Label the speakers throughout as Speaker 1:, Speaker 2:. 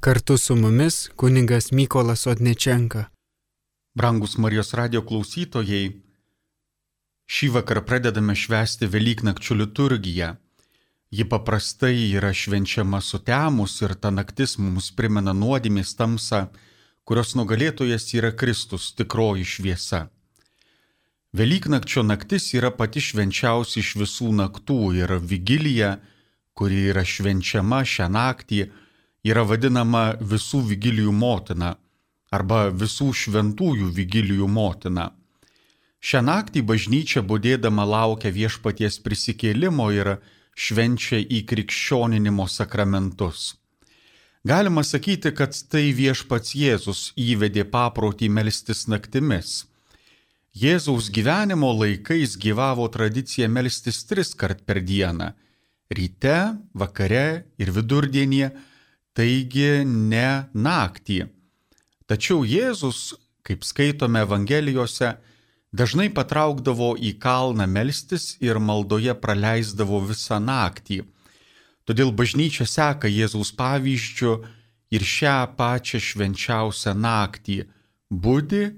Speaker 1: Kartu su mumis kunigas Mykolas Odnečenka.
Speaker 2: Brangus Marijos radijo klausytojai, šį vakarą pradedame švęsti Velyknakčio liturgiją. Ji paprastai yra švenčiama sutemus ir ta naktis mums primena nuodėmės tamsą, kurios nugalėtojas yra Kristus, tikroji šviesa. Velyknakčio naktis yra pati švenčiausia iš visų naktų ir vigilija, kuri yra švenčiama šią naktį, yra vadinama visų vigilijų motina arba visų šventųjų vigilijų motina. Šią naktį bažnyčia budėdama laukia viešpaties prisikėlimo ir švenčia įkrikščioninimo sakramentus. Galima sakyti, kad tai viešpats Jėzus įvedė paprotį melstis naktimis. Jėzaus gyvenimo laikais gyvavo tradicija melstis 3 kart per dieną – ryte, vakare ir vidurdienį, taigi ne naktį. Tačiau Jėzus, kaip skaitome Evangelijose, dažnai patraukdavo į kalną melstis ir maldoje praleisdavo visą naktį. Todėl bažnyčia seka Jėzaus pavyzdžiu ir šią pačią švenčiausią naktį budi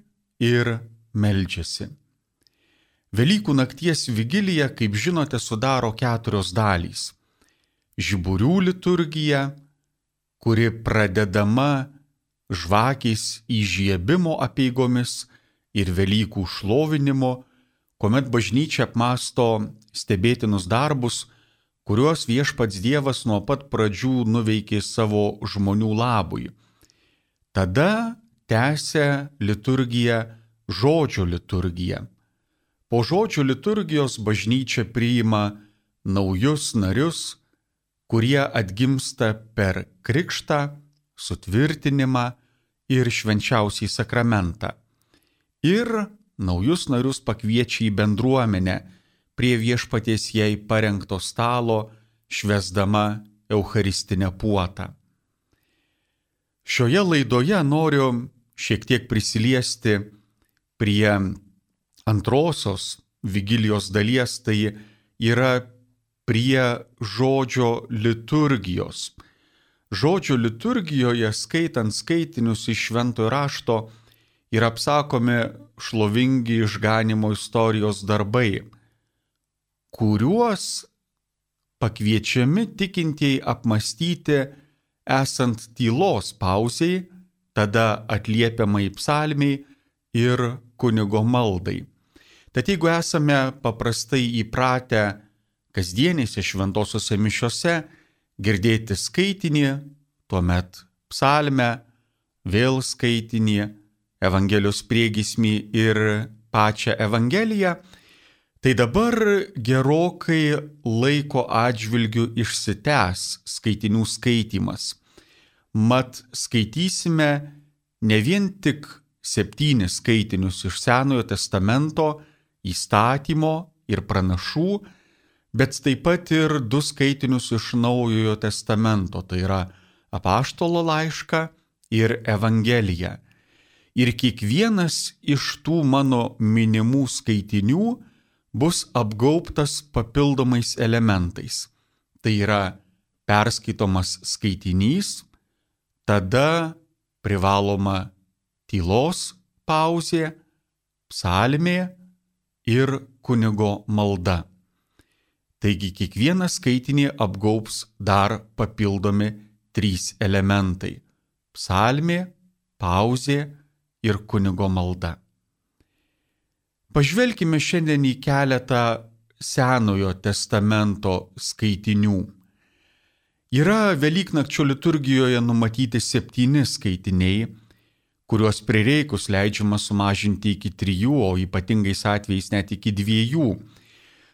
Speaker 2: ir meldžiasi. Velykų nakties vigilija, kaip žinote, sudaro 4 dalys. Žiburių liturgija, kuri pradedama žvakės įžiebimo apeigomis ir Velykų šlovinimo, kuomet bažnyčia apmąsto stebėtinus darbus, kuriuos viešpats Dievas nuo pat pradžių nuveikė savo žmonių labui. Tada tęsia liturgija žodžio liturgija. Po žodžio liturgijos bažnyčia priima naujus narius, kurie atgimsta per krikštą, sutvirtinimą ir švenčiausiąjį sakramentą. Ir naujus narius pakviečia į bendruomenę prie viešpaties jai parengto stalo, švęsdama eucharistinę puotą. Šioje laidoje noriu šiek tiek prisiliesti prie antrosios vigilijos dalies, tai yra prie žodžio liturgijos. Žodžio liturgijoje, skaitant skaitinius iš Šventojo rašto, yra apsakomi šlovingi išganymo istorijos darbai, kuriuos pakviečiami tikintieji apmąstyti esant tylos pauzei, tada atliepiamai psalmei ir kunigo maldai. Tad jeigu esame paprastai įpratę kasdienėse šventosiose mišiose girdėti skaitinį, tuomet psalmę, vėl skaitinį, Evangelijos priegiesmį ir pačią Evangeliją, tai dabar gerokai laiko atžvilgiu išsitęs skaitinių skaitymas. Mat skaitysime ne vien tik 7 skaitinius iš Senojo testamento, įstatymo ir pranašų, bet taip pat ir 2 skaitinius iš Naujojo testamento, tai yra Apaštalo laišką ir Evangeliją. Ir kiekvienas iš tų mano minimų skaitinių bus apgaubtas papildomais elementais. Tai yra perskaitomas skaitinys, tada privaloma tylos pauzė, psalmė ir kunigo malda. Taigi kiekvieną skaitinį apgaubs dar papildomi 3 elementai – psalmė, pauzė ir kunigo malda. Pažvelkime šiandien į keletą Senojo testamento skaitinių. Yra Velyknakčio liturgijoje numatyti 7 skaitiniai, kuriuos prireikus leidžiama sumažinti iki 3, o ypatingais atvejais net iki 2.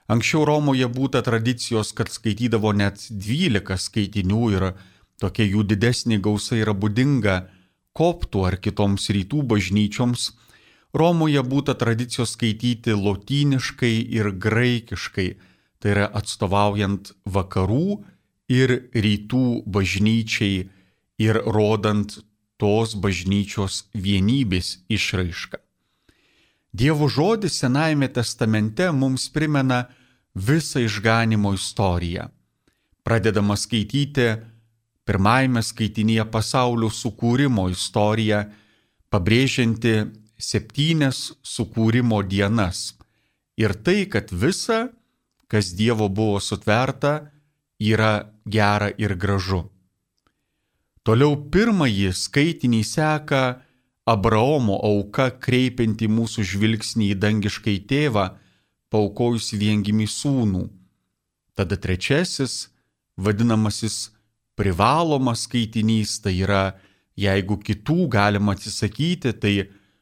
Speaker 2: Anksčiau Romoje būta tradicijos, kad skaitydavo net 12 skaitinių ir tokia jų didesnė gausa yra būdinga koptų ar kitoms rytų bažnyčioms. Romoje būta tradicijos skaityti lotyniškai ir graikiškai, tai yra atstovaujant vakarų ir rytų bažnyčiai ir rodant tos bažnyčios vienybės išraišką. Dievo žodis Senajame testamente mums primena visą išganymo istoriją. Pradedama skaityti pirmajame skaitinyje pasaulio sukūrimo istoriją, pabrėžianti 7 sukūrimo dienas. Ir tai, kad visa, kas Dievo buvo sutverta, yra gera ir gražu. Toliau pirmąjį skaitinį seka Abraomo auka, kreipianti mūsų žvilgsnį į dangiškai tėvą, paaukojus viengimį sūnų. Tada trečiasis, vadinamasis privalomas skaitinys, tai yra, jeigu kitų galima atsisakyti, tai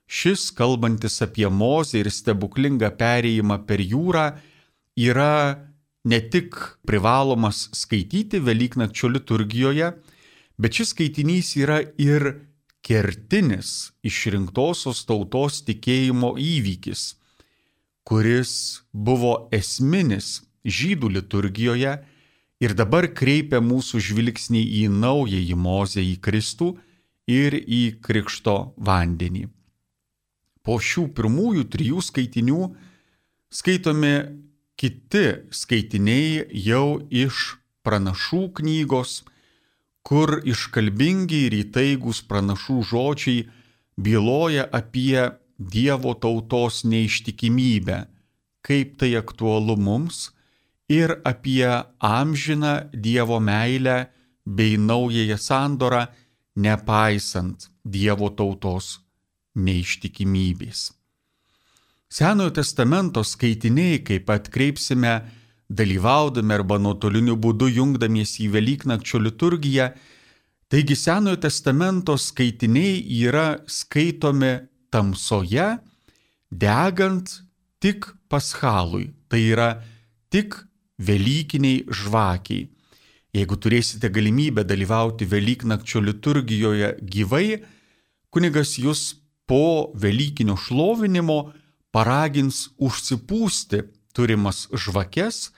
Speaker 2: šis, kalbantis apie Mozę ir stebuklingą perėjimą per jūrą, yra ne tik privalomas skaityti Velyknakčio liturgijoje, bet šis skaitinys yra ir kertinis išrinktosios tautos tikėjimo įvykis, kuris buvo esminis žydų liturgijoje ir dabar kreipia mūsų žvilgsnį į naująjį Mozę, į Kristų ir į krikšto vandenį. Po šių pirmųjų 3 skaitinių skaitomi kiti skaitiniai jau iš pranašų knygos, kur iškalbingi ir įtaigus pranašų žodžiai byloja apie Dievo tautos neištikimybę, kaip tai aktualu mums, ir apie amžiną Dievo meilę bei naująją sandorą, nepaisant Dievo tautos neištikimybės. Senojo testamento skaitiniai, kaip atkreipsime, dalyvaudami arba nuotoliniu būdu jungdamiesi į Velyknakčio liturgiją, taigi Senojo testamento skaitiniai yra skaitomi tamsoje, degant tik paschalui, tai yra tik velykiniai žvakiai. Jeigu turėsite galimybę dalyvauti Velyknakčio liturgijoje gyvai, kunigas jūs po velykinio šlovinimo paragins užsipūsti turimas žvakes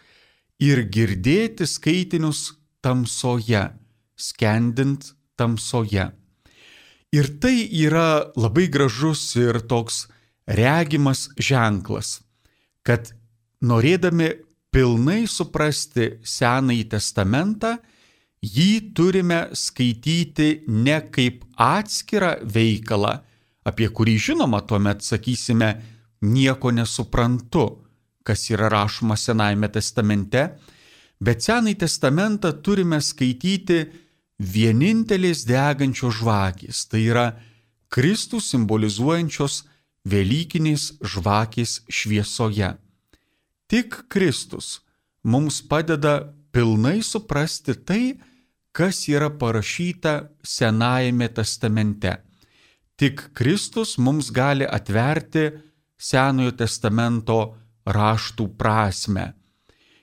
Speaker 2: ir girdėti skaitinius tamsoje, skendint tamsoje. Ir tai yra labai gražus ir toks regimas ženklas, kad norėdami pilnai suprasti Senąjį testamentą, jį turime skaityti ne kaip atskirą veikalą, apie kurį žinoma tuomet sakysime nieko nesuprantu, kas yra rašoma Senajame testamente, bet Senąjį testamentą turime skaityti vienintelės degančios žvakės, tai yra Kristų simbolizuojančios velykinės žvakės šviesoje. Tik Kristus mums padeda pilnai suprasti tai, kas yra parašyta Senajame testamente. Tik Kristus mums gali atverti Senojo testamento raštų prasmę.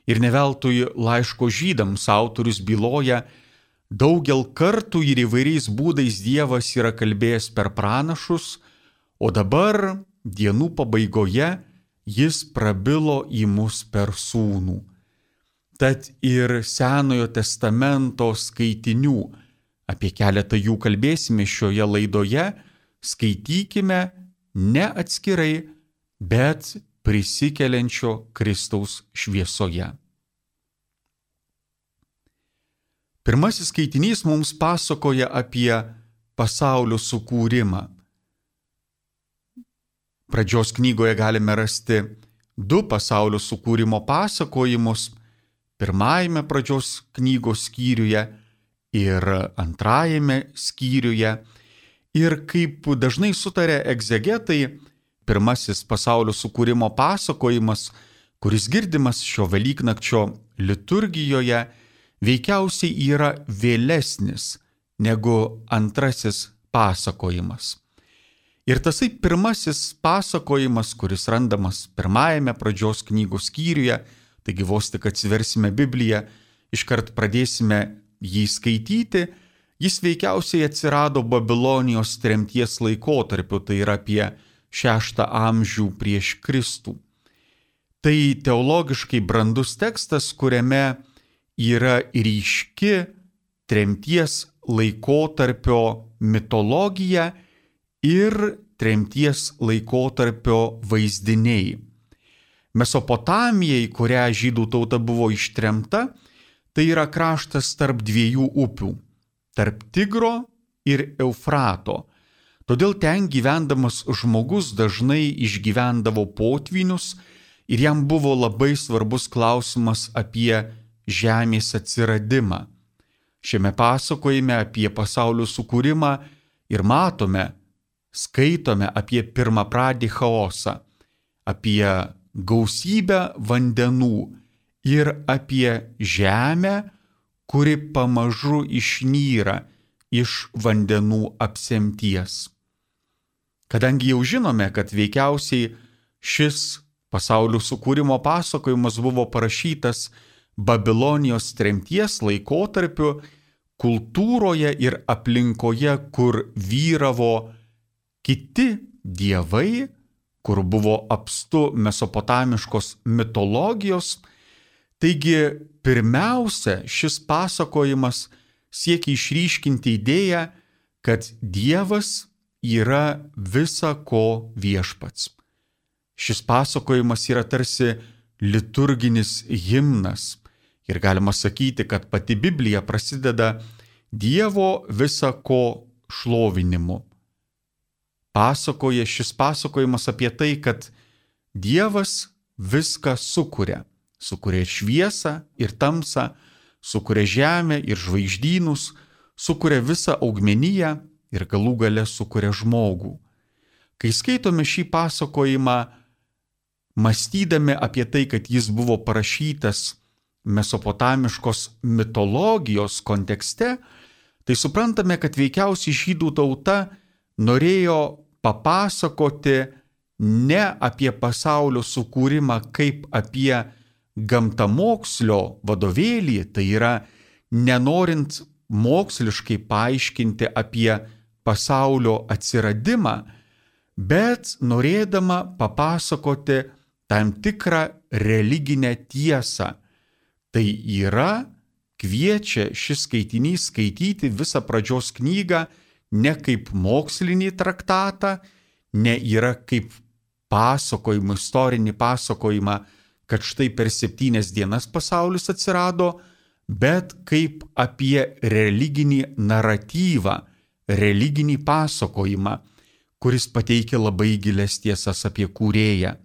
Speaker 2: Ir ne veltui laiško žydams autorius byloja, daugel kartų ir įvairiais būdais Dievas yra kalbėjęs per pranašus, o dabar dienų pabaigoje jis prabilo į mus per sūnų. Tad ir Senojo testamento skaitinių, apie keletą jų kalbėsime šioje laidoje, skaitykime ne atskirai, bet prisikeliančio Kristaus šviesoje. Pirmasis skaitinys mums pasakoja apie pasaulio sukūrimą. Pradžios knygoje galime rasti 2 pasaulio sukūrimo pasakojimus, pirmajame pradžios knygos skyriuje ir antrajame skyriuje. Ir kaip dažnai sutarė egzegetai, pirmasis pasaulio sukūrimo pasakojimas, kuris girdimas šio Velyknakčio liturgijoje, veikiausiai yra vėlesnis negu antrasis pasakojimas. Ir tasai pirmasis pasakojimas, kuris randamas pirmajame pradžios knygos skyriuje, taigi vos tik atsiversime Bibliją, iškart pradėsime jį skaityti, jis veikiausiai atsirado Babilonijos tremties laikotarpiu, tai yra apie 6 amžių prieš Kristų. Tai teologiškai brandus tekstas, kuriame yra ryški tremties laikotarpio mitologija ir tremties laikotarpio vaizdiniai. Mesopotamija, į kurią žydų tauta buvo ištremta, tai yra kraštas tarp 2 upių tarp Tigro ir Eufrato. Todėl ten gyvendamas žmogus dažnai išgyvendavo potvynius ir jam buvo labai svarbus klausimas apie žemės atsiradimą. Šiame pasakojime apie pasaulio sukūrimą ir matome, skaitome apie pirmapradį chaosą, apie gausybę vandenų ir apie žemę, kuri pamažu išnyra iš vandenų apsemties. Kadangi jau žinome, kad veikiausiai šis pasaulio sukūrimo pasakojimas buvo parašytas Babilonijos tremties laikotarpiu, kultūroje ir aplinkoje, kur vyravo kiti dievai, kur buvo apstu mesopotamiškos mitologijos. Taigi, pirmiausia, šis pasakojimas siekia išryškinti idėją, kad Dievas yra visa ko viešpats. Šis pasakojimas yra tarsi liturginis himnas ir galima sakyti, kad pati Biblija prasideda Dievo visa ko šlovinimu. Šis pasakojimas apie tai, kad Dievas viską sukuria. Sukuria šviesą ir tamsą, sukuria žemę ir žvaigždynus, sukuria visą augmeniją ir galų gale sukuria žmogų. Kai skaitome šį pasakojimą, mąstydami apie tai, kad jis buvo parašytas mesopotamiškos mitologijos kontekste, tai suprantame, kad veikiausiai žydų tauta norėjo papasakoti ne apie pasaulio sukūrimą kaip apie gamtamokslio vadovėlį, tai yra nenorint moksliškai paaiškinti apie pasaulio atsiradimą, bet norėdama papasakoti tam tikrą religinę tiesą. Tai yra, kviečia šis skaitinys skaityti visą pradžios knygą ne kaip mokslinį traktatą, ne yra kaip pasakojimą, istorinį pasakojimą, kad štai per 7 dienas pasaulis atsirado, bet kaip apie religinį naratyvą, religinį pasakojimą, kuris pateikia labai gilias tiesas apie kūrėją.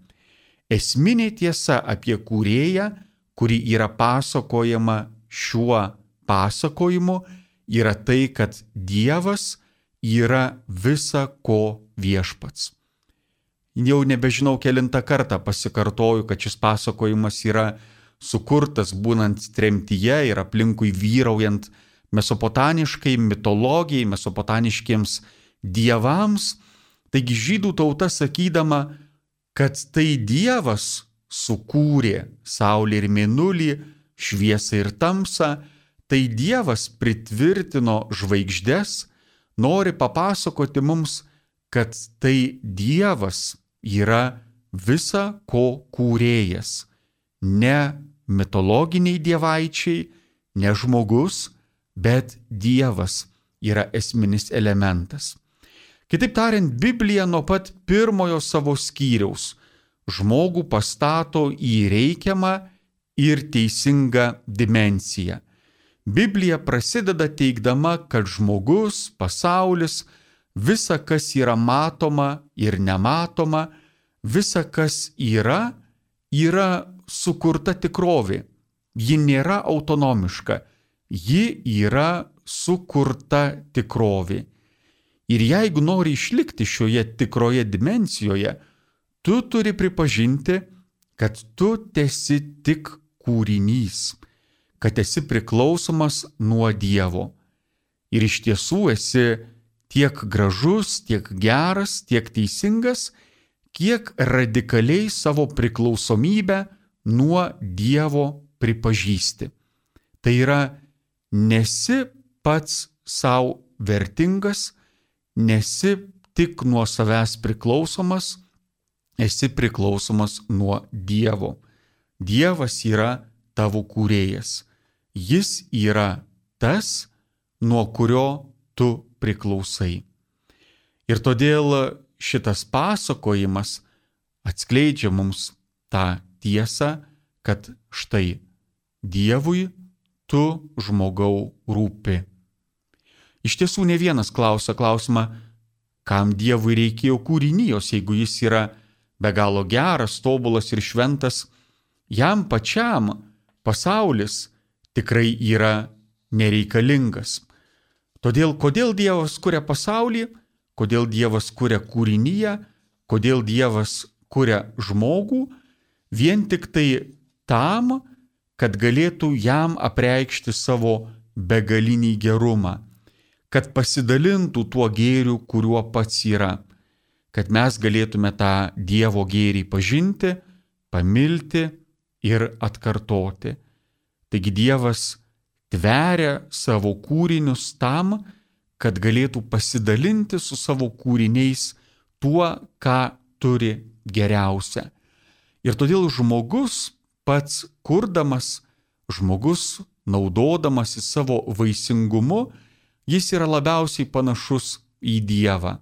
Speaker 2: Esminė tiesa apie kūrėją, kuri yra pasakojama šiuo pasakojimu, yra tai, kad Dievas yra visa ko viešpats. Jau nebežinau kelintą kartą pasikartoju, kad šis pasakojimas yra sukurtas būnant tremtyje ir aplinkui vyraujant mesopotamiškai mitologijai, mesopotamiškiems dievams. Taigi žydų tauta sakydama, kad tai Dievas sukūrė saulę ir mėnulį, šviesą ir tamsą, tai Dievas pritvirtino žvaigždes, nori papasakoti mums, kad tai Dievas yra visa ko kūrėjas. Ne mitologiniai dievaičiai, ne žmogus, bet Dievas yra esminis elementas. Kitaip tariant, Biblija nuo pat pirmojo savo skyriaus žmogų pastato į reikiamą ir teisingą dimensiją. Biblija prasideda teigdama, kad žmogus, pasaulis, visa, kas yra matoma ir nematoma, visa, kas yra sukurta tikrovė. Ji nėra autonomiška, ji yra sukurta tikrovė. Ir jeigu nori išlikti šioje tikroje dimensijoje, tu turi pripažinti, kad tu esi tik kūrinys, kad esi priklausomas nuo Dievo. Ir iš tiesų esi tiek gražus, tiek geras, tiek teisingas, kiek radikaliai savo priklausomybę nuo Dievo pripažįsti. Tai yra, nesi pats savo vertingas, nesi tik nuo savęs priklausomas, esi priklausomas nuo Dievo. Dievas yra tavo kūrėjas. Jis yra tas, nuo kurio tu priklausai. Ir todėl šitas pasakojimas atskleidžia mums tą tiesą, kad štai Dievui tu žmogau rūpi. Iš tiesų ne vienas klausia klausimą, kam Dievui reikėjo kūrinijos, jeigu jis yra be galo geras, tobulas ir šventas, jam pačiam pasaulis tikrai yra nereikalingas. Todėl, kodėl Dievas kuria pasaulį, kodėl Dievas kuria kūriniją, kodėl Dievas kuria žmogų, vien tik tai tam, kad galėtų jam apreikšti savo begalinį gerumą, kad pasidalintų tuo gėriu, kuriuo pats yra, kad mes galėtume tą Dievo gėrį pažinti, pamilti ir atkartoti. Taigi Dievas tveria savo kūrinius tam, kad galėtų pasidalinti su savo kūriniais tuo, ką turi geriausia. Ir todėl žmogus pats kurdamas, žmogus naudodamasi savo vaisingumu, jis yra labiausiai panašus į Dievą.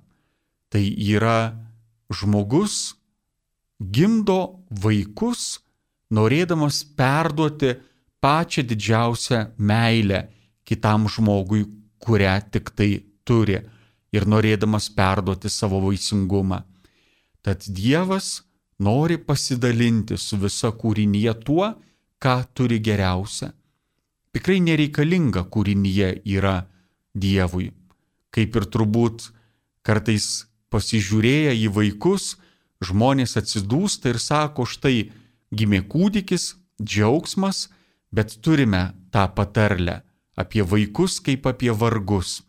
Speaker 2: Tai yra žmogus gimdo vaikus, norėdamas perduoti pačią didžiausią meilę kitam žmogui, kurią tik tai turi, ir norėdamas perduoti savo vaisingumą. Tad Dievas nori pasidalinti su visa kūrinyje tuo, ką turi geriausia. Tikrai nereikalinga kūrinyje yra Dievui. Kaip ir turbūt kartais pasižiūrėję į vaikus, žmonės atsidūsta ir sako, štai gimė kūdikis, džiaugsmas, bet turime tą patarlę apie vaikus kaip apie vargus.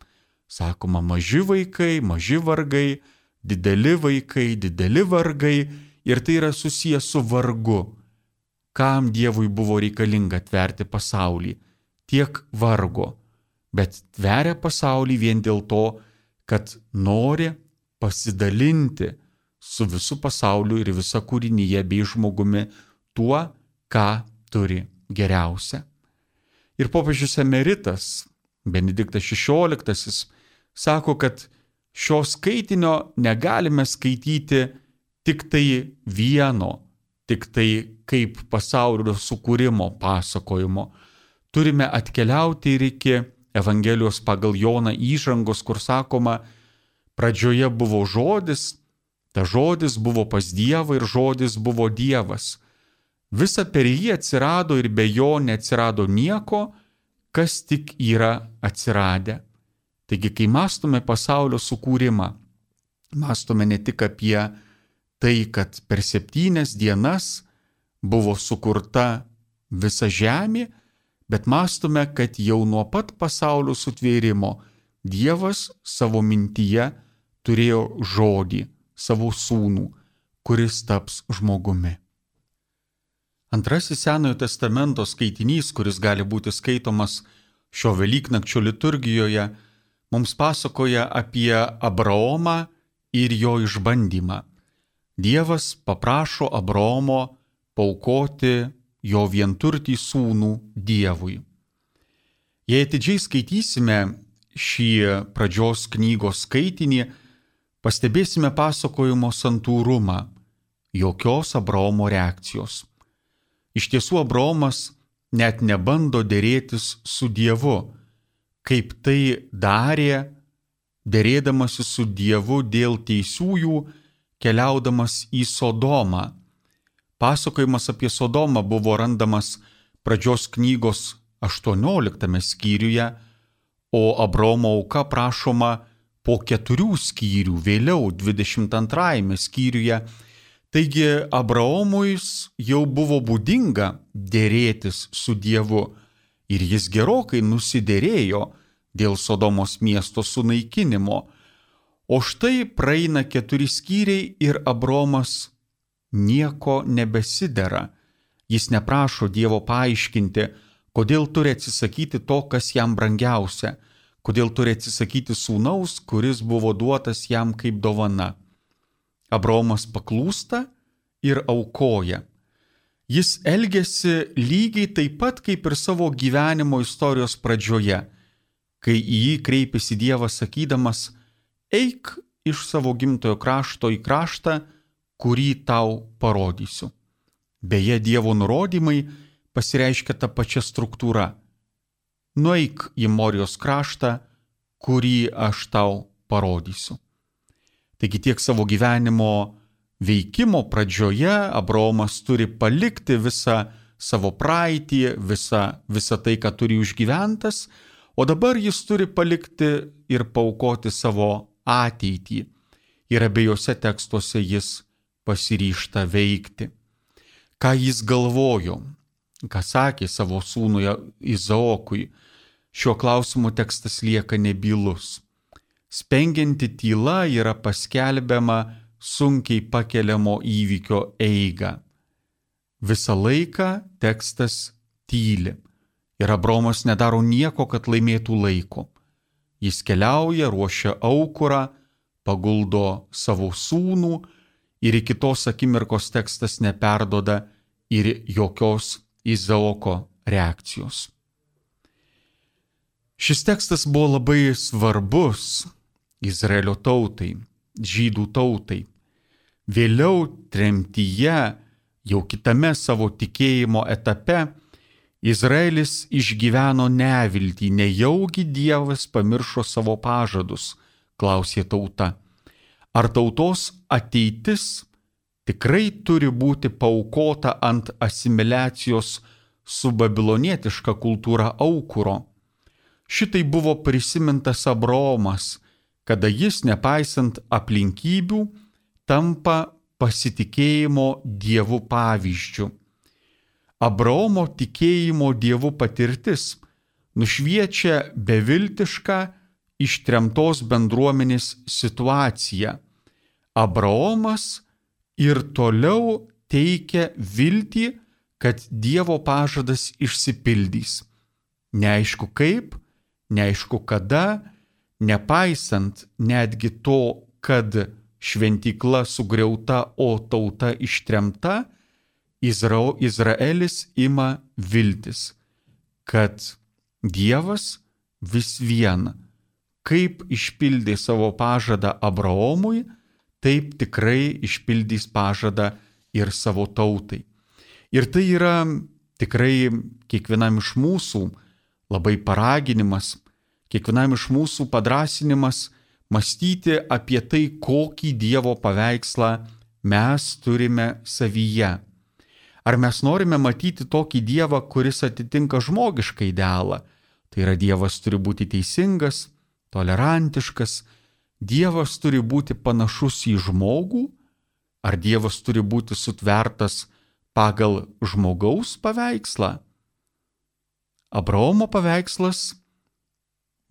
Speaker 2: Sakoma, maži vaikai, maži vargai, dideli vaikai, dideli vargai, ir tai yra susijęs su vargu. Kam Dievui buvo reikalinga tverti pasaulį? Tiek vargo, bet tveria pasaulį vien dėl to, kad nori pasidalinti su visu pasauliu ir visa kūrinyje bei žmogumi tuo, ką turi geriausia. Ir popiežius emeritas Benediktas XVI sako, kad šio skaitinio negalime skaityti tik tai vieno, tik tai kaip pasaulio sukūrimo pasakojimo. Turime atkeliauti ir iki Evangelijos pagal Joną įžangos, kur sakoma, pradžioje buvo žodis, ta žodis buvo pas Dievą ir žodis buvo Dievas. Visa per jį atsirado ir be jo neatsirado nieko, kas tik yra atsiradę. Taigi, kai mąstome pasaulio sukūrimą, mąstome ne tik apie tai, kad per 7 dienas buvo sukurta visa žemė, bet mąstome, kad jau nuo pat pasaulio sutvėrimo Dievas savo mintyje turėjo žodį, savo sūnų, kuris taps žmogumi. Antrasis Senojo testamento skaitinys, kuris gali būti skaitomas šio Velyknakčio liturgijoje, mums pasakoja apie Abraomą ir jo išbandymą. Dievas paprašo Abraomo paaukoti jo vienturtį sūnų Dievui. Jei atidžiai skaitysime šį pradžios knygos skaitinį, pastebėsime pasakojimo santūrumą, jokios Abraomo reakcijos. Iš tiesų Abraomas net nebando derėtis su Dievu, kaip tai darė, derėdamasi su Dievu dėl teisiųjų, keliaudamas į Sodomą. Pasakojimas apie Sodomą buvo randamas pradžios knygos 18 skyriuje, o Abraomo auka prašoma po 4 skyrių, vėliau 22 skyriuje. Taigi Abraomui jau buvo būdinga derėtis su Dievu ir jis gerokai nusidėrėjo dėl Sodomos miesto sunaikinimo. O štai praeina 4 skyriai ir Abraomas nieko nebesidera. Jis neprašo Dievo paaiškinti, kodėl turi atsisakyti to, kas jam brangiausia, kodėl turi atsisakyti sūnaus, kuris buvo duotas jam kaip dovana. Abraomas paklūsta ir aukoja. Jis elgiasi lygiai taip pat kaip ir savo gyvenimo istorijos pradžioje, kai į jį kreipėsi Dievas sakydamas, eik iš savo gimtojo krašto į kraštą, kurį tau parodysiu. Beje, Dievo nurodymai pasireiškia tą pačią struktūrą. Nueik į Morijos kraštą, kurį aš tau parodysiu. Taigi tiek savo gyvenimo veikimo pradžioje Abraomas turi palikti visą savo praeitį, visą tai, ką turi užgyventas, o dabar jis turi palikti ir paaukoti savo ateitį. Ir abiejose tekstuose jis pasiryžta veikti. Ką jis galvojo, ką sakė savo sūnui Izaokui, šiuo klausimu tekstas lieka nebylus. Spengianti tyla yra paskelbiama sunkiai pakeliamo įvykio eigą. Visą laiką tekstas tyli ir Abraomas nedaro nieko, kad laimėtų laiko. Jis keliauja, ruošia aukurą, paguldo savo sūnų ir iki tos akimirkos tekstas neperduoda ir jokios Izaoko reakcijos. Šis tekstas buvo labai svarbus Izraelio tautai, žydų tautai. Vėliau tremtyje, jau kitame savo tikėjimo etape, Izraelis išgyveno neviltį, nejaugi Dievas pamiršo savo pažadus, klausė tauta. Ar tautos ateitis tikrai turi būti paaukota ant asimiliacijos su babilonietiška kultūra aukuro? Šitai buvo prisimintas Abraomas, kada jis, nepaisant aplinkybių, tampa pasitikėjimo Dievu pavyzdžiu. Abraomo tikėjimo Dievu patirtis nušviečia beviltišką ištremtos bendruomenės situaciją. Abraomas ir toliau teikia viltį, kad Dievo pažadas išsipildys. Neaišku kaip, neaišku kada, nepaisant netgi to, kad šventykla sugriauta, o tauta ištremta, Izraelis ima viltis, kad Dievas vis vien, kaip išpildė savo pažadą Abraomui, taip tikrai išpildys pažadą ir savo tautai. Ir tai yra tikrai kiekvienam iš mūsų labai paraginimas, kiekvienam iš mūsų padrąsinimas mąstyti apie tai, kokį Dievo paveikslą mes turime savyje. Ar mes norime matyti tokį Dievą, kuris atitinka žmogišką idealą? Tai yra, Dievas turi būti teisingas, tolerantiškas, Dievas turi būti panašus į žmogų, ar Dievas turi būti sutvertas pagal žmogaus paveikslą? Abraomo paveikslas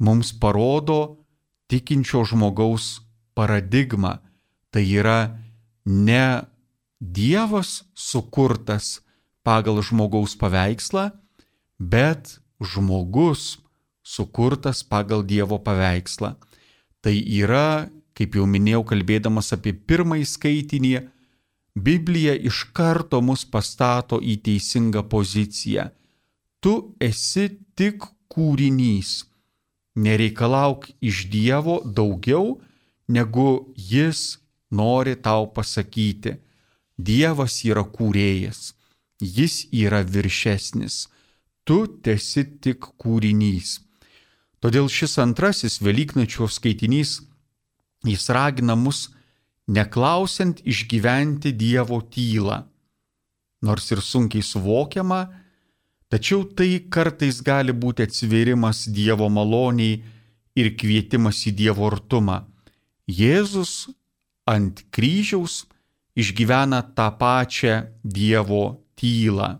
Speaker 2: mums parodo tikinčio žmogaus paradigmą. Tai yra ne Dievas sukurtas pagal žmogaus paveikslą, bet žmogus sukurtas pagal Dievo paveikslą. Tai yra, kaip jau minėjau, kalbėdamas apie pirmąjį skaitinį, Biblija iš karto mus pastato į teisingą poziciją. Tu esi tik kūrinys. Nereikalauk iš Dievo daugiau, negu Jis nori tau pasakyti. Dievas yra kūrėjas, Jis yra viršesnis, tu tesi tik kūrinys. Todėl šis antrasis Velyknakčio skaitinys, jis ragina mus neklausiant išgyventi Dievo tylą. Nors ir sunkiai suvokiama, tačiau tai kartais gali būti atsivėrimas Dievo maloniai ir kvietimas į Dievo artumą. Jėzus ant kryžiaus išgyvena tą pačią Dievo tylą.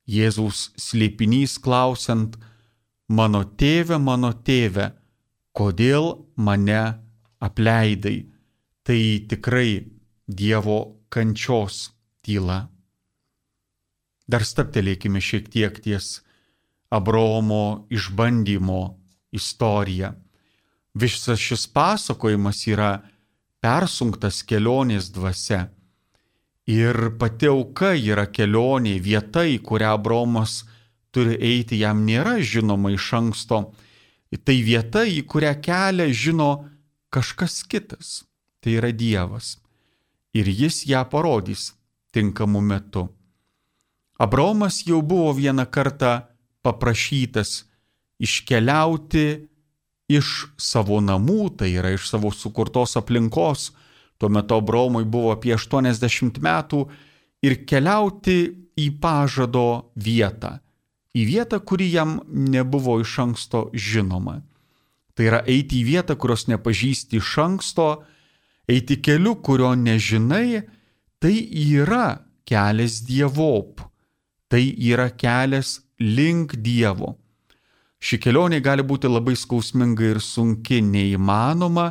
Speaker 2: Jėzaus slėpinys klausiant, mano tėve, kodėl mane apleidai? Tai tikrai Dievo kančios tyla. Dar stabtelėkime šiek tiek ties Abraomo išbandymo istorija. Visas šis pasakojimas yra persunktas kelionės dvasia. Ir pati auka yra kelionė, vieta, į kurią Abraomas turi eiti, jam nėra žinoma iš anksto. Tai vieta, į kurią kelią žino kažkas kitas. Tai yra Dievas. Ir Jis ją parodys tinkamu metu. Abraomas jau buvo vieną kartą paprašytas iškeliauti iš savo namų, tai yra iš savo sukurtos aplinkos, tuo metu Abraomui buvo apie 80 metų, ir keliauti į pažado vietą, į vietą, kuri jam nebuvo iš anksto žinoma. Tai yra eiti į vietą, kurios nepažįsti iš anksto, eiti keliu, kurio nežinai, tai yra kelias dievop, tai yra kelias link Dievo. Ši kelionė gali būti labai skausminga ir sunki, neįmanoma,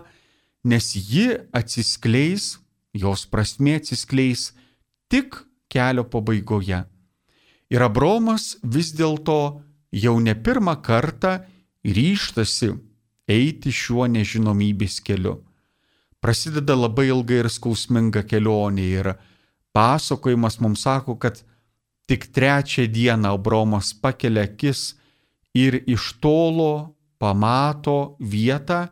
Speaker 2: nes ji atsiskleis, jos prasmė atsiskleis tik kelio pabaigoje. Ir Abraomas vis dėlto jau ne pirmą kartą ryžtasi eiti šiuo nežinomybės keliu. Prasideda labai ilga ir skausminga kelionė ir pasakojimas mums sako, kad tik 3 dieną Abraomas pakelia akis ir iš tolo pamato vietą,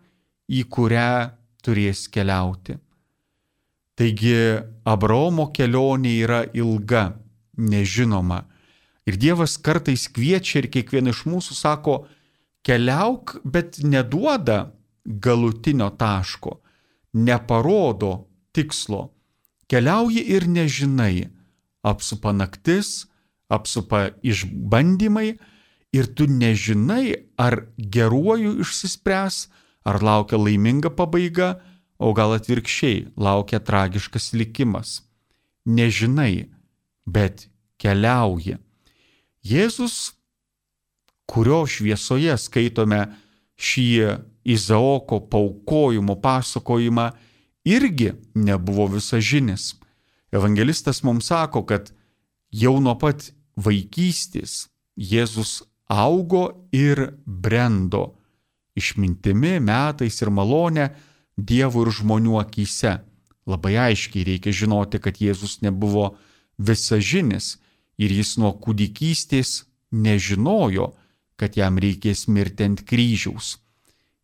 Speaker 2: į kurią turės keliauti. Taigi Abraomo kelionė yra ilga, nežinoma. Ir Dievas kartais kviečia ir kiekvieną iš mūsų sako, keliauk, bet neduoda galutinio taško, neparodo tikslo. Keliauji ir nežinai, apsupa naktis, apsupa išbandymai ir tu nežinai, ar geruoju išsispręs, ar laukia laiminga pabaiga, o gal atvirkščiai laukia tragiškas likimas. Nežinai, bet keliauji. Jėzus, kurio šviesoje skaitome šį Izaoko paaukojimo pasakojimą, irgi nebuvo visažinis. Evangelistas mums sako, kad jau nuo pat vaikystės Jėzus augo ir brendo išmintimi, metais ir malonė Dievo ir žmonių akyse. Labai aiškiai reikia žinoti, kad Jėzus nebuvo visažinis ir jis nuo kūdikystės nežinojo, kad jam reikės mirti ant kryžiaus.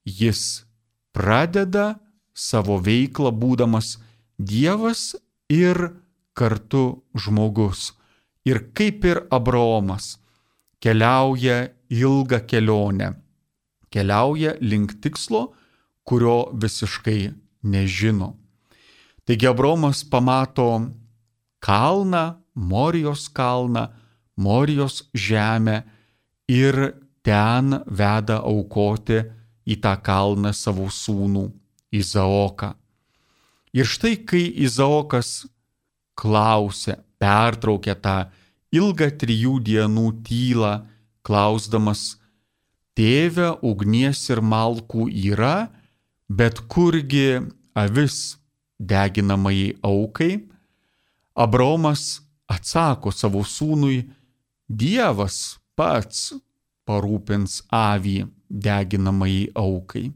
Speaker 2: Jis pradeda savo veiklą būdamas Dievas ir kartu žmogus. Ir kaip ir Abraomas keliauja ilgą kelionę, keliauja link tikslo, kurio visiškai nežino. Taigi Abraomas pamato kalną, Morijos kalną, Morijos žemę ir ten veda aukoti į tą kalną savo sūnų Izaoką. Ir štai kai Izaokas klausia, pertraukia tą ilgą 3 dienų tylą, klausdamas, tėve, ugnies ir malkų yra, bet kurgi avis deginamai aukai? Abraomas atsako savo sūnui, Dievas pats parūpins avį deginamai aukai.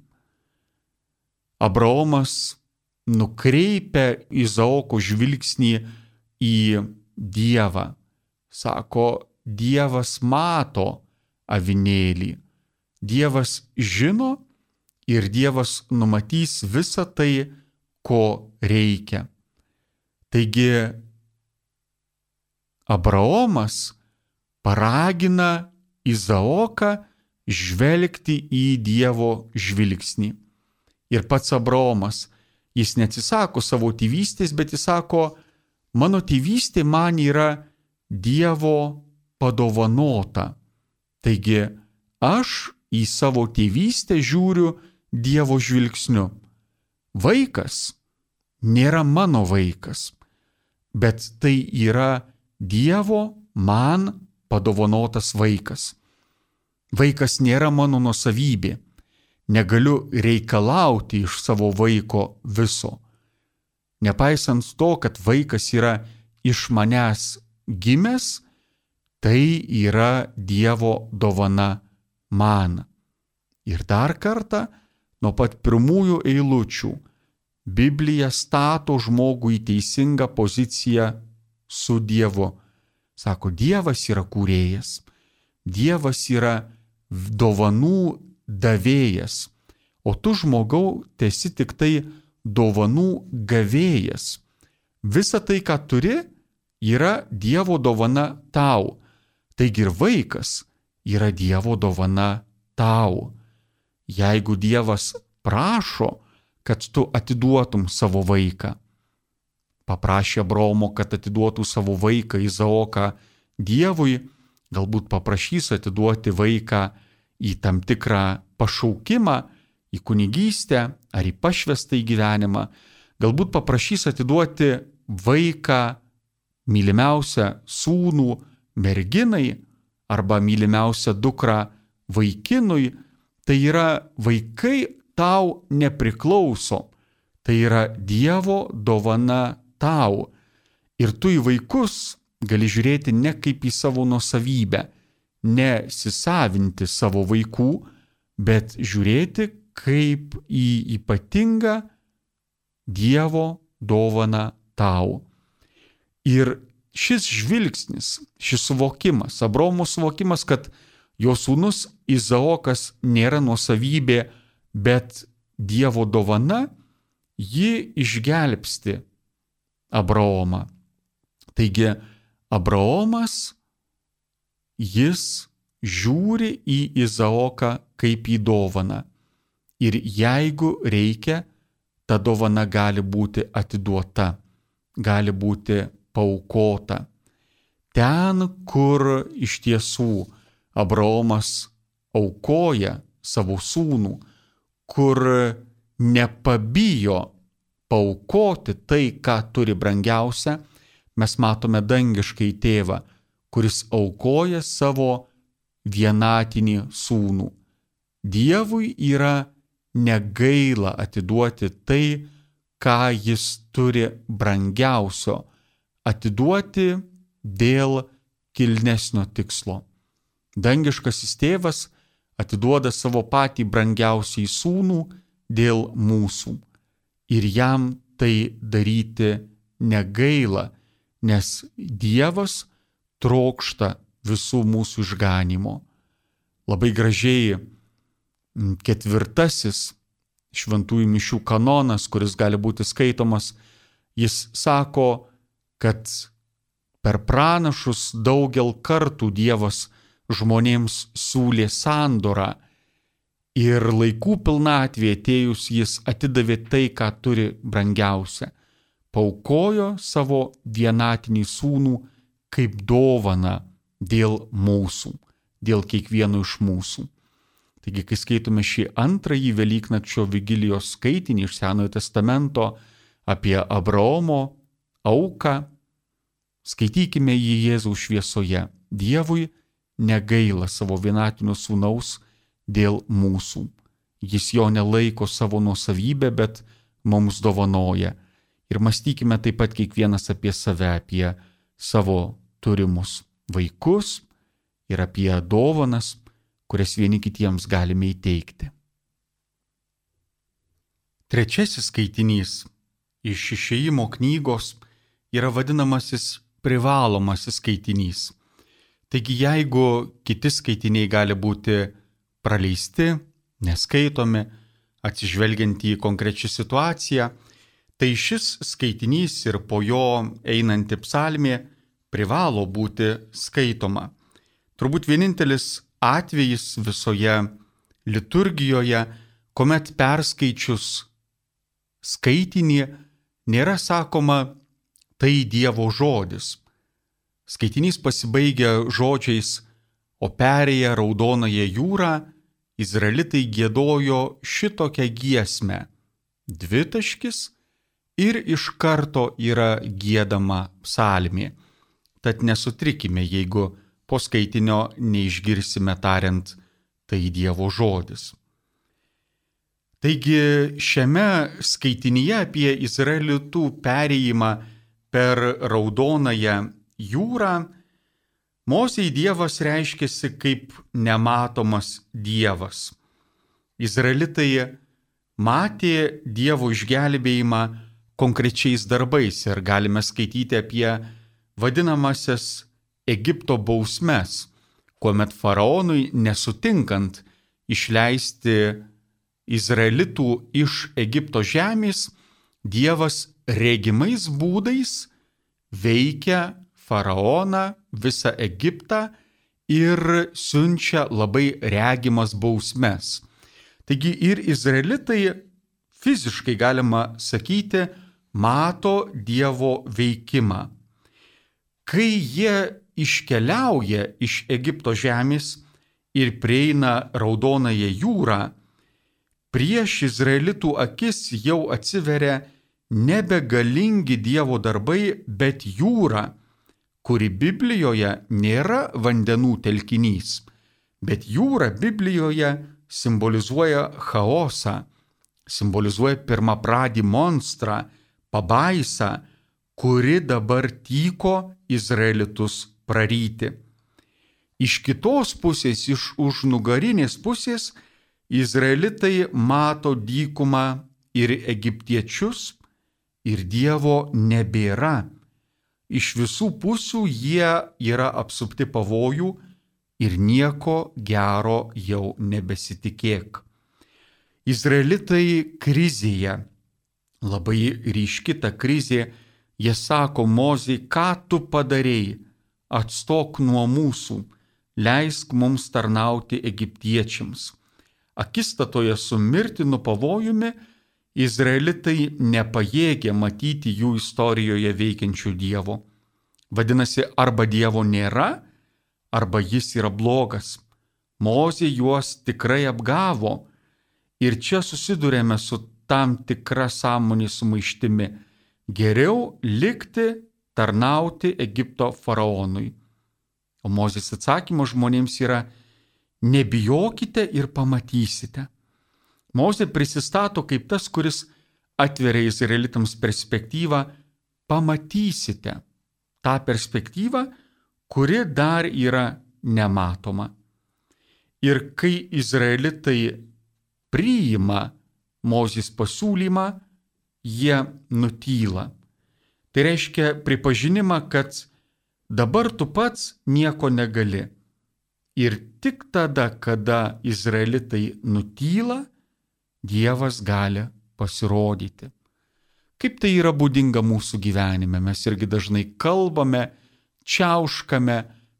Speaker 2: Abraomas nukreipia Izaoko žvilgsnį į Dievą. Sako, Dievas mato avinėlį. Dievas žino ir Dievas numatys visą tai, ko reikia. Taigi, Abraomas paragina Izaoką žvelgti į Dievo žvilgsnį. Ir pats Abraomas, jis neatsisako savo tėvystės, bet jis sako, mano tėvystė man yra Dievo padovanota. Taigi, aš į savo tėvystę žiūriu Dievo žvilgsniu. Vaikas nėra mano vaikas, bet tai yra Dievo man padovanotas vaikas. Vaikas nėra mano nuosavybė. Negaliu reikalauti iš savo vaiko viso. Nepaisant to, kad vaikas yra iš manęs gimęs, tai yra Dievo dovana man. Ir dar kartą, nuo pat pirmųjų eilučių, Biblija stato žmogų į teisingą poziciją su Dievu. Sako, Dievas yra kūrėjas, Dievas yra dovanų davėjas, o tu žmogau tesi tik tai dovanų gavėjas. Visa tai, ką turi, yra Dievo dovana tau. Taigi ir vaikas yra Dievo dovana tau. jeigu Dievas prašo, kad tu atiduotum savo vaiką. Paprašė Abraomo, kad atiduotų savo vaiką Izaoką Dievui, galbūt paprašys atiduoti vaiką į tam tikrą pašaukimą, į kunigystę ar į pašvestą gyvenimą, galbūt paprašys atiduoti vaiką, mylimiausią sūnų merginai arba mylimiausią dukrą vaikinui. Tai yra vaikai tau nepriklauso, tai yra Dievo dovana tau. Ir tu į vaikus gali žiūrėti ne kaip į savo nuosavybę, nesisavinti savo vaikų, bet žiūrėti kaip į ypatingą Dievo dovaną tau. Ir šis žvilgsnis, šis suvokimas, Abraomo suvokimas, kad jo sūnus Izaokas nėra nuosavybė, bet Dievo dovana, ji išgelbsti Abraomą. Taigi Abraomas, jis žiūri į Izaoką kaip į dovaną. Ir jeigu reikia, ta dovana gali būti atiduota, gali būti paaukota. Ten, kur iš tiesų Abraomas aukoja savo sūnų, kur nepabijo paaukoti tai, ką turi brangiausia, mes matome dangiškai tėvą, kuris aukoja savo vienatinį sūnų. Dievui yra negaila atiduoti tai, ką jis turi brangiausio, atiduoti dėl kilnesnio tikslo. Dangiškasis tėvas atiduoda savo patį brangiausiai sūnų dėl mūsų. Ir jam tai daryti negaila, nes Dievas trokšta visų mūsų išganimo. Labai gražiai 4. šventųjų mišių kanonas, kuris gali būti skaitomas, jis sako, kad per pranašus daugel kartų Dievas žmonėms siūlė sandorą ir laikų pilnatvėje atėjus jis atidavė tai, ką turi brangiausia. Paaukojo savo vienatinį sūnų kaip dovaną dėl mūsų, dėl kiekvieno iš mūsų. Taigi, kai skaitome šį antrąjį Velyknakčio vigilijos skaitinį iš Senojo testamento apie Abraomo auką, skaitykime jį Jėzaus šviesoje. Dievui negaila savo vienatinio sūnaus dėl mūsų. Jis jo nelaiko savo nuosavybę, bet mums dovanoja. Ir mąstykime taip pat kiekvienas apie save, apie savo turimus vaikus ir apie dovanas, kurias vieni kitiems galime įteikti. Trečiasis skaitinys iš Išėjimo knygos yra vadinamasis privalomasis skaitinys. Taigi, jeigu kiti skaitiniai gali būti praleisti, neskaitomi, atsižvelgiant į konkrečią situaciją, tai šis skaitinys ir po jo einanti psalmė privalo būti skaitoma. Turbūt vienintelis atvejis visoje liturgijoje, kuomet perskaičius skaitinį nėra sakoma tai Dievo žodis. Skaitinys pasibaigia žodžiais, o perėję Raudonąją jūrą, izraelitai giedojo šitokią giesmę. Dvitaškis ir iš karto yra giedama psalmė. Tad nesutrikime, jeigu po skaitinio neišgirsime tariant tai Dievo žodis. Taigi šiame skaitinyje apie izraelitų perėjimą per Raudonąją jūrą Mozei Dievas reiškėsi kaip nematomas Dievas. Izraelitai matė Dievo išgelbėjimą konkrečiais darbais ir galime skaityti apie vadinamasias Egipto bausmes, kuomet faraonui nesutinkant išleisti izraelitų iš Egipto žemės, Dievas regimais būdais veikia faraoną, visą Egiptą ir siunčia labai regimas bausmes. Taigi ir izraelitai fiziškai, galima sakyti, mato Dievo veikimą. Kai jie iškeliauja iš Egipto žemės ir prieina Raudonąją jūrą, prieš izraelitų akis jau atsiveria nebegalingi Dievo darbai, bet jūra, kuri Biblijoje nėra vandenų telkinys, bet jūra Biblijoje simbolizuoja chaosą, simbolizuoja pirmapradį monstrą, pabaisą, kuri dabar tyko izraelitus praryti. Iš kitos pusės, iš užnugarinės pusės, izraelitai mato dykumą ir egiptiečius, ir Dievo nebėra. Iš visų pusių jie yra apsupti pavojų ir nieko gero jau nebesitikėk. Izraelitai krizėje, labai ryški ta krizė, jie sako Mozei, ką tu padarei, atstok nuo mūsų, leisk mums tarnauti egiptiečiams. Akistatoje su mirtinu pavojumi izraelitai nepajėgė matyti jų istorijoje veikiančių Dievo. Vadinasi, arba Dievo nėra, arba jis yra blogas. Mozė juos tikrai apgavo. Ir čia susidurėme su tam tikra sąmonės sumaištimi. Geriau likti, tarnauti Egipto faraonui. O Mozės atsakymas žmonėms yra: nebijokite ir pamatysite. Mozė prisistato kaip tas, kuris atveria izraelitams perspektyvą: pamatysite tą perspektyvą, kuri dar yra nematoma. Ir kai izraelitai priima Mozės pasiūlymą, jie nutyla. Tai reiškia pripažinimą, kad dabar tu pats nieko negali. Ir tik tada, kada izraelitai nutyla, Dievas gali pasirodyti. Kaip tai yra būdinga mūsų gyvenime. Mes irgi dažnai kalbame, čiauškame,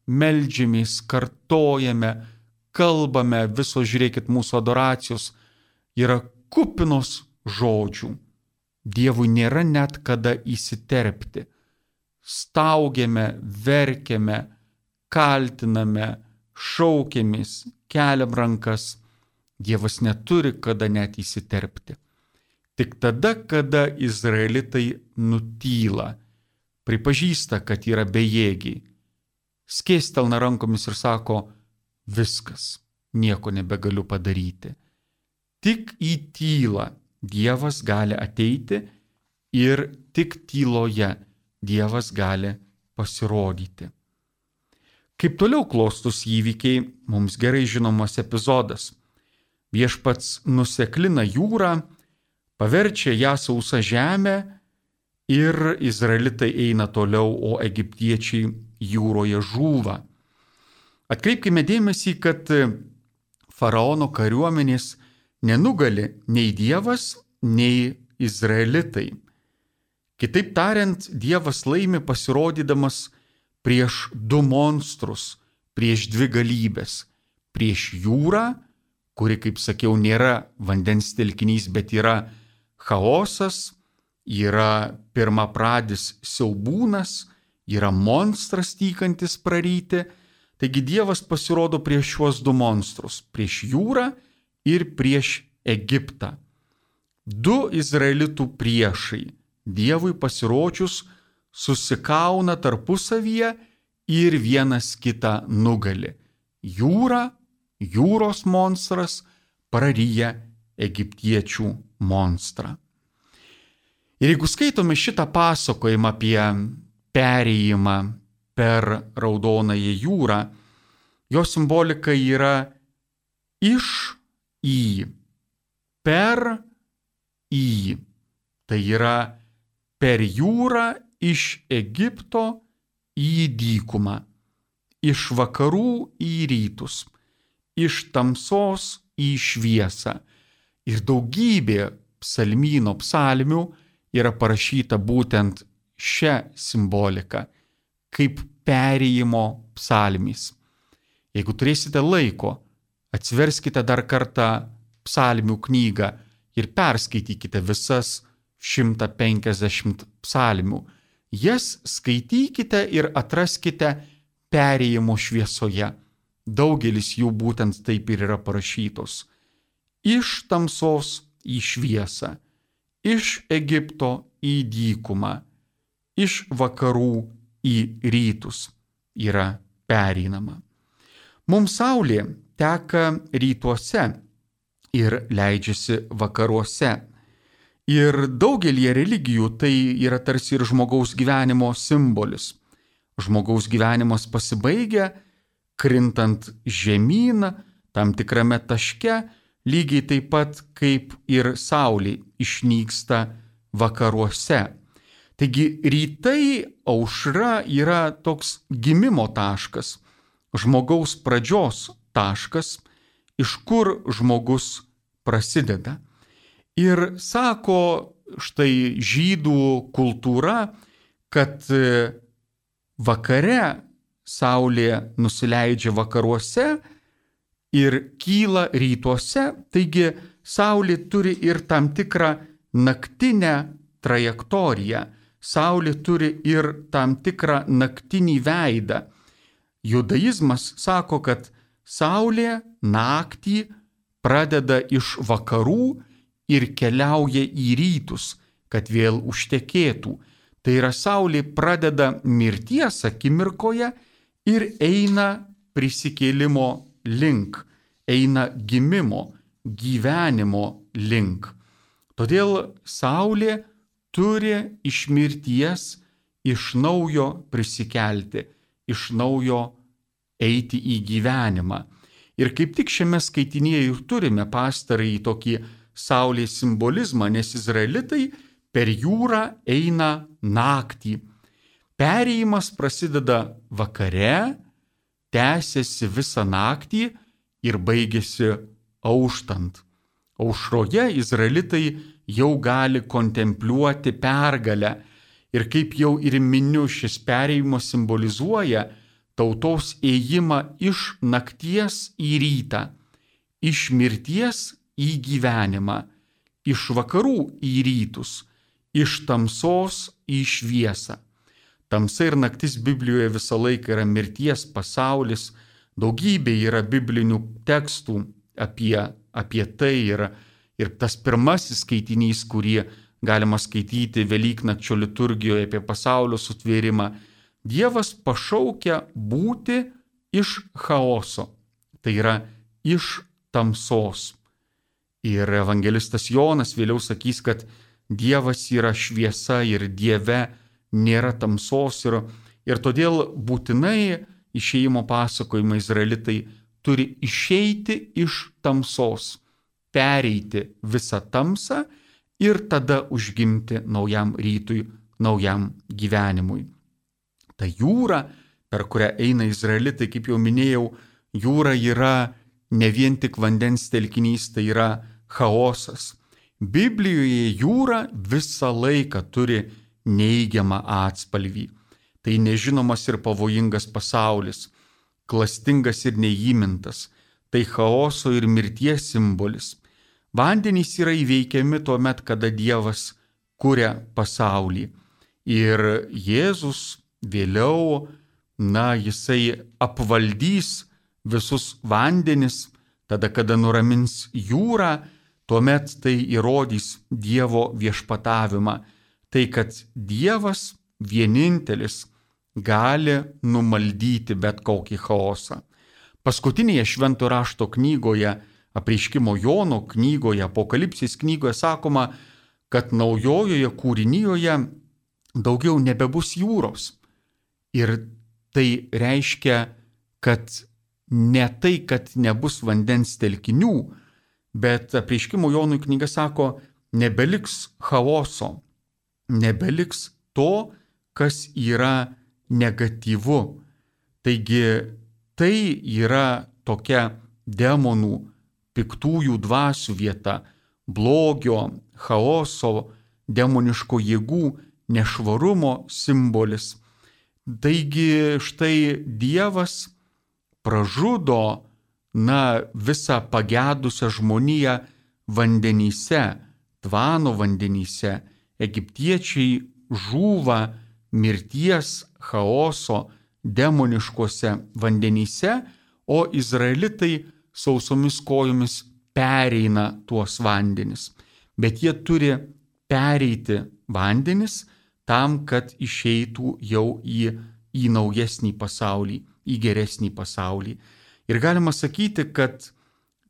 Speaker 2: meldžiamės, kartojame, kalbame, visos, žiūrėkit, mūsų adoracijos yra kupinos žodžių. Dievui nėra net kada įsiterpti. Staugiame, verkiame, kaltiname, šaukiamės, keliam rankas. Dievas neturi kada net įsiterpti. Tik tada, kada izraelitai nutyla, pripažįsta, kad yra bejėgiai, skėstelna rankomis ir sako: viskas, nieko nebegaliu padaryti. Tik į tylą Dievas gali ateiti ir tik tyloje Dievas gali pasirodyti. Kaip toliau klostus įvykiai, mums gerai žinomas epizodas. Viešpats nuseklina jūrą, paverčia ją sausą žemę ir izraelitai eina toliau, o egiptiečiai jūroje žūva. Atkreipkime dėmesį, kad faraono kariuomenės nenugali nei Dievas, nei izraelitai. Kitaip tariant, Dievas laimi pasirodydamas prieš du monstrus, prieš dvi galybės, prieš jūrą, kuri, kaip sakiau, nėra vandens telkinys, bet yra chaosas, yra pirmapradis siaubūnas, yra monstras tykantis praryti. Taigi Dievas pasirodo prieš šiuos du monstrus, prieš jūrą ir prieš Egiptą. Du izraelitų priešai Dievui pasirodžius susikauna tarpusavyje ir vienas kitą nugali. Jūra, jūros monstras praryja egiptiečių monstrą. Ir jeigu skaitome šitą pasakojimą apie perėjimą per Raudonąją jūrą, jo simbolika yra iš į, per į. Tai yra per jūrą iš Egipto į dykumą, iš vakarų į rytus, iš tamsos į šviesą. Ir daugybė psalmyno psalmių yra parašyta būtent šią simboliką, kaip perėjimo psalmys. Jeigu turėsite laiko, atsiverskite dar kartą psalmių knygą ir perskaitykite visas 150 psalmių. Jas skaitykite ir atraskite perėjimo šviesoje. Daugelis jų būtent taip ir yra parašytos. Iš tamsos į šviesą, iš Egipto į dykumą, iš vakarų į rytus yra pereinama. Mums saulė teka rytuose ir leidžiasi vakaruose. Ir daugelie religijų tai yra tarsi ir žmogaus gyvenimo simbolis. Žmogaus gyvenimas pasibaigia, krintant žemyn, tam tikrame taške, lygiai taip pat kaip ir saulė išnyksta vakaruose. Taigi rytai aušra yra toks gimimo taškas, žmogaus pradžios taškas, iš kur žmogus prasideda. Ir sako štai žydų kultūra, kad vakare saulė nusileidžia vakaruose ir kyla rytuose, taigi saulė turi ir tam tikrą naktinę trajektoriją, saulė turi ir tam tikrą naktinį veidą. Judaizmas sako, kad saulė naktį pradeda iš vakarų ir keliauja į rytus, kad vėl užtekėtų. Tai yra saulė pradeda mirties akimirkoje ir eina prisikėlimo link, eina gimimo, gyvenimo link. Todėl saulė turi iš mirties iš naujo prisikelti, iš naujo eiti į gyvenimą. Ir kaip tik šiame skaitinėje ir turime pastarąjį tokį saulės simbolizmą, nes izraelitai per jūrą eina naktį. Perėjimas prasideda vakare, tęsiasi visą naktį ir baigėsi auštant. Aušroje izraelitai jau gali kontempliuoti pergalę ir kaip jau ir miniu, šis perėjimas simbolizuoja tautos ėjimą iš nakties į rytą, iš mirties į gyvenimą, iš vakarų į rytus, iš tamsos į šviesą. Tamsa ir naktis Biblijoje visą laiką yra mirties pasaulis, daugybė yra biblinių tekstų apie tai ir tas pirmasis skaitinys, kurį galima skaityti Velyknakčio liturgijoje apie pasaulio sutvėrimą. Dievas pašaukia būti iš chaoso, tai yra iš tamsos. Ir evangelistas Jonas vėliau sakys, kad Dievas yra šviesa ir Dieve nėra tamsos ir todėl būtinai išėjimo pasakojimą izraelitai turi išeiti iš tamsos, pereiti visą tamsą ir tada užgimti naujam rytui, naujam gyvenimui. Ta jūra, per kurią eina izraelitai, kaip jau minėjau, jūra yra ne vien tik vandens telkinys, tai yra chaosas. Biblijoje jūra visą laiką turi neigiamą atspalvį. Tai nežinomas ir pavojingas pasaulis, klastingas ir neįmintas, tai chaoso ir mirties simbolis. Vandenys yra įveikiami tuo met, kada Dievas kuria pasaulį. Ir Jėzus vėliau, jisai apvaldys visus vandenis, tada, kada nuramins jūrą, tuomet tai įrodys Dievo viešpatavimą. Tai, kad Dievas vienintelis gali numaldyti bet kokį chaosą. Paskutinėje Švento rašto knygoje, Apreiškimo Jono knygoje, Apokalipsės knygoje sakoma, kad naujojoje kūrinijoje daugiau nebebus jūros. Ir tai reiškia, kad ne tai, kad nebus vandens telkinių, bet Apreiškimo Jonui knyga sako, nebeliks chaoso, nebeliks to, kas yra negatyvu. Taigi tai yra tokia demonų, piktųjų dvasių vieta, blogio, chaoso, demoniško jėgų, nešvarumo simbolis. Taigi štai Dievas pražudo visą pagedusią žmoniją vandenyse, Tvano vandenyse, egiptiečiai žūva mirties, chaoso, demoniškose vandenyse, o izraelitai sausomis kojomis pereina tuos vandenis. Bet jie turi pereiti vandenis tam, kad išeitų jau į naujesnį pasaulį, į geresnį pasaulį. Ir galima sakyti, kad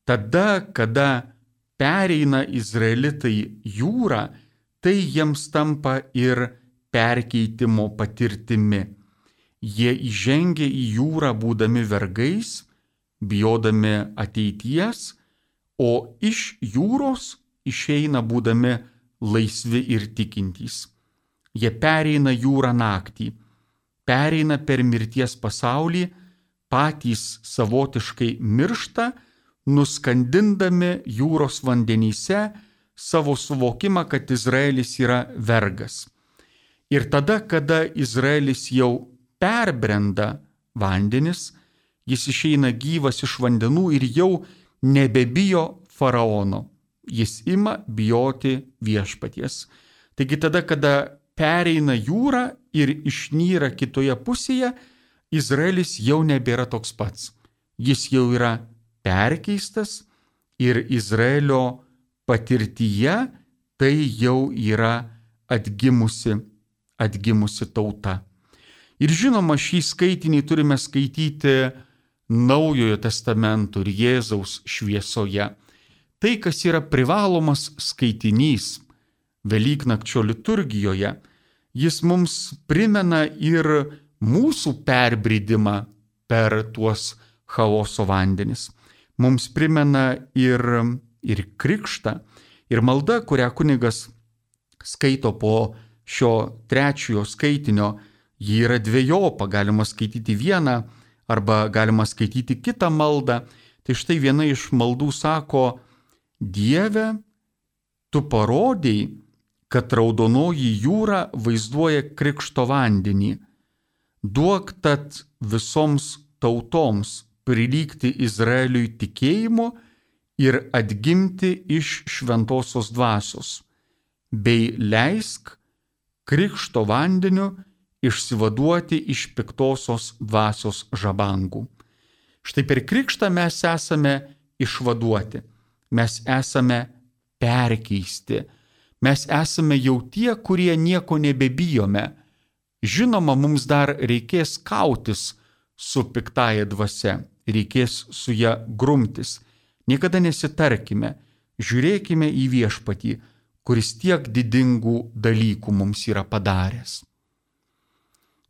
Speaker 2: tada, kada pereina izraelitai jūrą, tai jiems tampa ir perkeitimo patirtimi. Jie įžengia į jūrą būdami vergais, bijodami ateities, o iš jūros išeina būdami laisvi ir tikintys. Jie pereina jūrą naktį, pereina per mirties pasaulį, patys savotiškai miršta, nuskandindami jūros vandenyse savo suvokimą, kad Izraelis yra vergas. Ir tada, kada Izraelis jau perbrenda vandenis, jis išeina gyvas iš vandenų ir jau nebebijo faraono. Jis ima bijoti viešpaties. Taigi tada, kada pereina jūrą ir išnyra kitoje pusėje, Izraelis jau nebėra toks pats. Jis jau yra perkeistas ir Izraelio patirtyje tai jau yra atgimusi tauta. Ir žinoma, šį skaitinį turime skaityti Naujojo testamento ir Jėzaus šviesoje. Tai, kas yra privalomas skaitinys Velyknakčio liturgijoje, jis mums primena ir mūsų perbridimą per tuos chaoso vandenis. Mums primena ir krikštą, ir malda, kurią kunigas skaito po šio trečiojo skaitinio, ji yra dvejopa, galima skaityti vieną arba galima skaityti kitą maldą. Tai štai viena iš maldų sako: Dieve, tu parodei, kad raudonoji jūra vaizduoja krikšto vandenį. Duok tad visoms tautoms prilygti Izraeliui tikėjimu ir atgimti iš šventosios dvasios, bei leisk krikšto vandeniu išsivaduoti iš piktosios dvasios žabangų. Štai per krikštą mes esame išvaduoti, mes esame perkeisti, mes esame jau tie, kurie nieko nebebijome. Žinoma, mums dar reikės kautis su piktaja dvasia, reikės su ją grumtis. Niekada nesitarkime, žiūrėkime į viešpatį, kuris tiek didingų dalykų mums yra padaręs.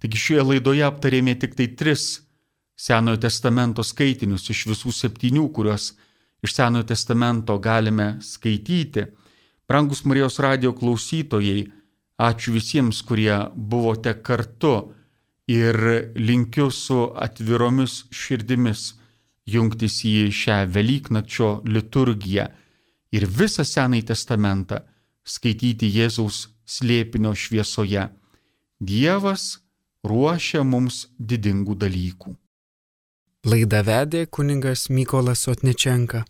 Speaker 2: Taigi šioje laidoje aptarėme tik tai 3 Senojo testamento skaitinius iš visų 7, kuriuos iš Senojo testamento galime skaityti. Brangus Marijos radijo klausytojai, ačiū visiems, kurie buvote kartu, ir linkiu su atviromis širdimis jungtis į šią Velyknakčio liturgiją ir visą Senąjį testamentą skaityti Jėzaus slėpinio šviesoje. Dievas ruošia mums didingų dalykų.
Speaker 1: Laidą vedė kunigas Mykolas Otničenka.